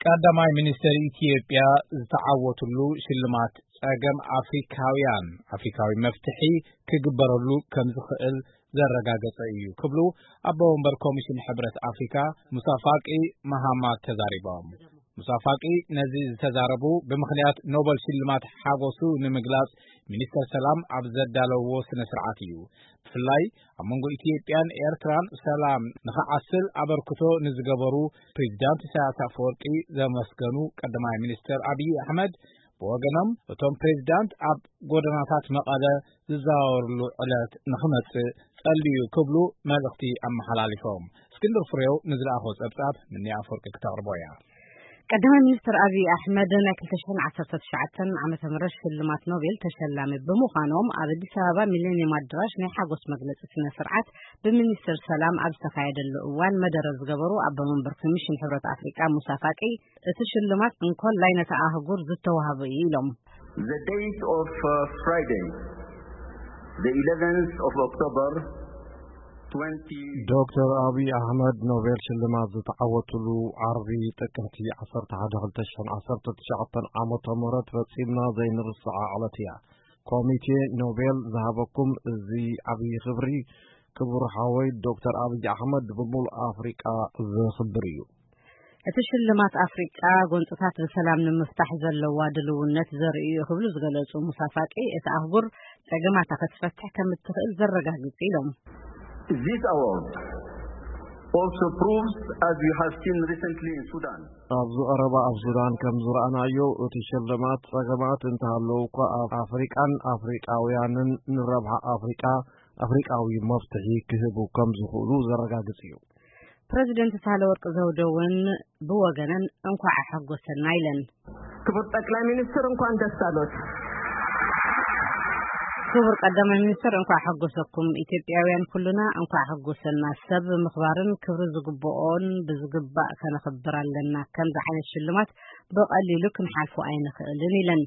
ቀዳማይ ሚኒስትር ኢትዮጵያ ዝተዓወትሉ ሽልማት ጸገም ኣፍሪካውያን ኣፍሪካዊ መፍትሒ ክግበረሉ ከም ዝኽእል ዘረጋገጸ እዩ ክብሉ ኣቦ ወንበር ኮሚሽን ሕብረት ኣፍሪካ ሙሳ ፋቂ መሃማት ተዛሪቦም። ሙሳ ፋቂ ነዚ ዝተዛረቡ ብምኽንያት ኖበል ሽልማት ሓጎሱ ንምግላጽ ሚኒስተር ሰላም ኣብ ዘዳለውዎ ስነ ስርዓት እዩ። ብፍላይ ኣብ መንጎ ኢትዮጵያን ኤርትራን ሰላም ንኽዓስል ኣበርክቶ ንዝገበሩ ፕሬዚዳንት ኢሳያስ ኣፈወርቂ ዘመስገኑ ቀዳማይ ሚኒስተር ኣብይ ኣሕመድ ብወገኖም እቶም ፕሬዚዳንት ኣብ ጎደናታት መቐለ ዝዘዋወርሉ ዕለት ንኽመጽእ ጸልዩ ክብሉ መልእኽቲ ኣመሓላሊፎም። እስክንድር ፍሬው ንዝለኣኾ ጸብጻብ ምኒ ኣፈወርቂ ክተቕርቦ እያ። ቀዳማይ ሚኒስትር ኣብይ ኣሕመድ ናይ ክልተ ሽሕን ዓሰርተ ትሽዓተን ዓመተ ምህረት ሽልማት ኖቤል ተሸላሚ ብምዃኖም ኣብ ኣዲስ ኣበባ ሚሌኒየም ኣዳራሽ ናይ ሓጎስ መግለጺ ስነ ስርዓት ብሚኒስትር ሰላም ኣብ ዝተኻየደሉ እዋን መደረ ዝገበሩ ኣቦ መንበር ኮሚሽን ሕብረት ኣፍሪቃ ሙሳ ፋቂ እቲ ሽልማት እንኮላይ ነታ ኣህጉር ዝተዋህበ እዩ ኢሎም። The date of uh, Friday, the eleventh of October, twenty. ዶክተር ኣብይ ኣሕመድ ኖቤል ሽልማት ዝተዓወትሉ ዓርቢ ጥቅምቲ ዓሰርተ ሓደ ክልተ ሽሕን ዓሰርተ ትሽዓተን ዓመተ ምህረት ፈጺምና ዘይንርስዓ ዕለት እያ። ኮሚቴ ኖቤል ዝሃበኩም እዚ ዓብዪ ክብሪ ክቡር ሓወይ ዶክተር ኣብይ ኣሕመድ ብምሉእ ኣፍሪቃ ዘኽብር እዩ። እቲ ሽልማት ኣፍሪቃ ጎንፅታት ብሰላም ንምፍታሕ ዘለዋ ድልውነት ዘርኢ እዩ ክብሉ ዝገለጹ ሙሳ ፋቂ እቲ ኣህጉር ጸገማታ ክትፈትሕ ከም እትኽእል ዘረጋግጽ ኢሎም። This award also proves, as we have seen recently in Sudan, ኣብዚ ቀረባ ኣብ ሱዳን ከም ዝረኣናዮ እቲ ሽልማት ጸገማት እንተሃለዉ እኳ ኣብ ኣፍሪቃን ኣፍሪቃውያንን ንረብሓ ኣፍሪቃ ኣፍሪቃዊ መፍትሒ ክህቡ ከም ዝኽእሉ ዘረጋግጽ እዩ። ፕረዚደንት ሳህለወርቅ ዘውደ እውን ብወገነን እንኳዕ ኣሐጎሰና ኢለን። ክቡር ጠቅላይ ሚኒስትር እንኳን ደስ ኣሎት። ክቡር ቀዳማይ ሚኒስትር እንኳዕ ሓጎሰኩም። ኢትዮጵያውያን ኩልና እንኳዕ ሓጎሰና። ሰብ ምኽባርን ክብሪ ዝግብኦን ብዝግባእ ከነኽብር ኣለና። ከምዚ ዓይነት ሽልማት ብቐሊሉ ክንሓልፎ ኣይንኽእልን ኢለን።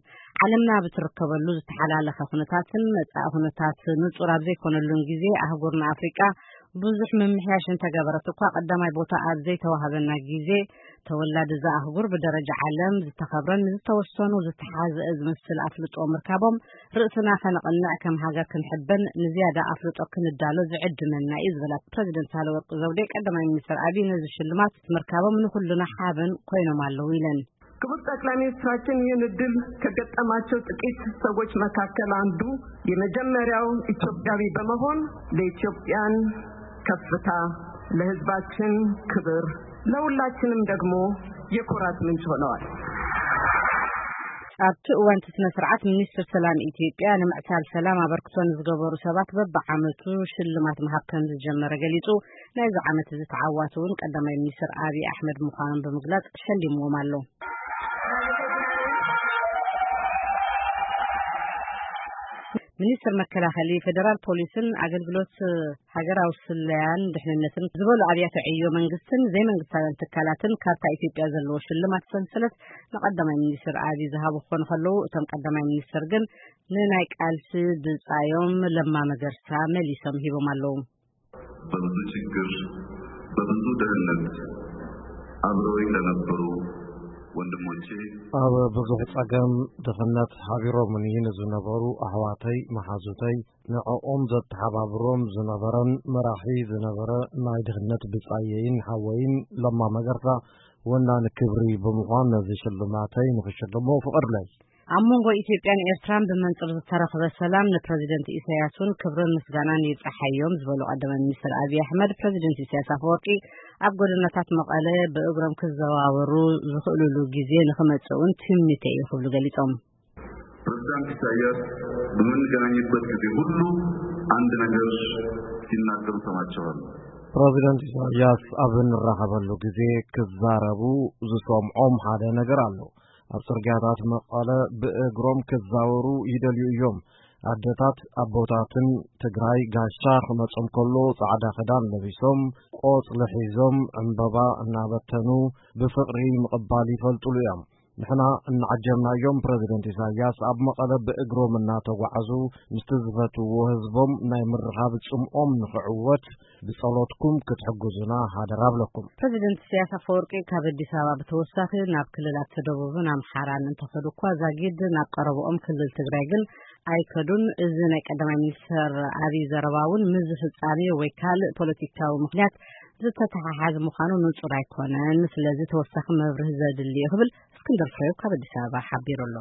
ዓለምና ኣብ እትርከበሉ ዝተሓላለኸ ኩነታትን መጻኢ ኩነታት ንጹር ኣብ ዘይኮነሉን ግዜ ኣህጉርና ኣፍሪቃ ብዙሕ ምምሕያሽ እንተገበረት እኳ ቀዳማይ ቦታ ኣብ ዘይተዋህበና ግዜ ተወላዲ እዛ ኣህጉር ብደረጃ ዓለም ዝተኸብረን ንዝተወሰኑ ዝተሓዝአ ዝመስል ኣፍልጦ ምርካቦም ርእስና ከነቕንዕ ከም ሃገር ክንሕበን ንዝያዳ ኣፍልጦ ክንዳሎ ዝዕድመና እዩ ዝበላ ፕረዚደንት ሳህለወርቅ ዘውዴ ቀዳማይ ሚኒስትር ኣብይ ነዚ ሽልማት ምርካቦም ንኹልና ሓበን ኮይኖም ኣለዉ ኢለን። ክቡር ጠቅላይ ሚኒስትራችን ይህን እድል ከገጠማቸው ጥቂት ሰዎች መካከል አንዱ የመጀመሪያው ኢትዮጵያዊ በመሆን ለኢትዮጵያን ከፍታ፣ ለህዝባችን ክብር፣ ለሁላችንም ደግሞ የኩራት ምንጭ ሆነዋል። ኣብቲ እዋን እቲ ስነ ስርዓት ሚኒስትር ሰላም ኢትዮጵያ ንምዕሳል ሰላም ኣበርክቶ ንዝገበሩ ሰባት በብዓመቱ ሽልማት ምሃብ ከም ዝጀመረ ገሊጹ። ናይዚ ዓመት እዚ ተዓዋቲ እውን ቀዳማይ ሚኒስትር ኣብይ ኣሕመድ ምዃኖም ብምግላጽ ሸሊምዎም ኣሎ። ሚኒስትር መከላኸሊ ፌደራል ፖሊስን ኣገልግሎት ሃገራዊ ስለያን ድሕንነትን ዝበሉ ኣብያተ ዕዮ መንግስትን ዘይመንግስታውያን ትካላትን ካብታ ኢትዮጵያ ዘለዎ ሽልማት ሰንሰለት ንቀዳማይ ሚኒስትር ኣብይ ዝሃቡ ክኾኑ ከለዉ እቶም ቀዳማይ ሚኒስትር ግን ንናይ ቃልሲ ብጻዮም ለማ መገርሳ መሊሶም ሂቦም ኣለዉ። በብዙ ችግር በብዙ ድህነት አብረውኝ ለነበሩ ወንድሞቼ ኣብ ብዙሕ ጸገም ድኽነት ሓቢሮምኒ ንዝነበሩ ኣሕዋተይ መሓዙተይ ንዕኦም ዘተሓባብሮም ዝነበረን መራሒ ዝነበረ ናይ ድኽነት ብጻየይን ሓወይን ለማ መገርሳ ወናኒ ክብሪ ብምዃን ነዚ ሽልማተይ ንኽሽልሞ ፍቐድለይ። ኣብ መንጎ ኢትዮጵያን ኤርትራን ብመንጽር ዝተረኽበ ሰላም ንፕረዚደንት ኢሳያስ እውን ክብርን ምስጋናን ይብጻሓዮም ዝበሉ ቀዳማይ ሚኒስትር ኣብይ ኣሕመድ ፕረዚደንት ኢሳያስ ኣፈወርቂ ኣብ ጎደናታት መቐለ ብእግሮም ክዘዋወሩ ዝኽእሉሉ ግዜ ንኽመጽእ እውን ትምኒተይ እዩ ክብሉ ገሊጾም። ፕሬዝዳንት ኢሳያስ በምንገናኝበት ጊዜ ሁሉ አንድ ነገር ሲናገሩ ሰማቸዋለሁ። ፕረዚደንት ኢሳያስ ኣብ እንራኸበሉ ግዜ ክዛረቡ ዝሰምዖም ሓደ ነገር ኣሎ። ኣብ ጽርግያታት መቐለ ብእግሮም ክዛወሩ ይደልዩ እዮም። ኣደታት ኣቦታትን ትግራይ ጋሻ ክመጾም ከሎ ጻዕዳ ክዳን ለቢሶም ቆጽሊ ሒዞም ዕምበባ እናበተኑ ብፍቕሪ ምቕባል ይፈልጡሉ እዮም። ንሕና እናዓጀብናዮም፣ ፕረዚደንት ኢሳያስ ኣብ መቐለ ብእግሮም እናተጓዓዙ ምስቲ ዝፈትውዎ ህዝቦም ናይ ምርኻብ ጽምኦም ንኽዕወት ብጸሎትኩም ክትሕግዙና ሃደራ ኣብለኩም። ፕረዚደንት ኢሳያስ ኣፈወርቂ ካብ ኣዲስ ኣበባ ብተወሳኺ ናብ ክልላት ደቡብን ኣምሓራን እንተኸዱ እኳ፣ ዛጊድ ናብ ቀረብኦም ክልል ትግራይ ግን ኣይከዱን። እዚ ናይ ቀዳማይ ሚኒስትር ኣብይ ዘረባ እውን ምስዚ ፍጻሜ ወይ ካልእ ፖለቲካዊ ምኽንያት ዝተተሓሓዘ ምዃኑ ንጹር ኣይኮነን። ስለዚ ተወሳኺ መብርሂ ዘድሊ እዩ ክብል እስክንድር ፍሬው ካብ ኣዲስ ኣበባ ሓቢሩ ኣሎ።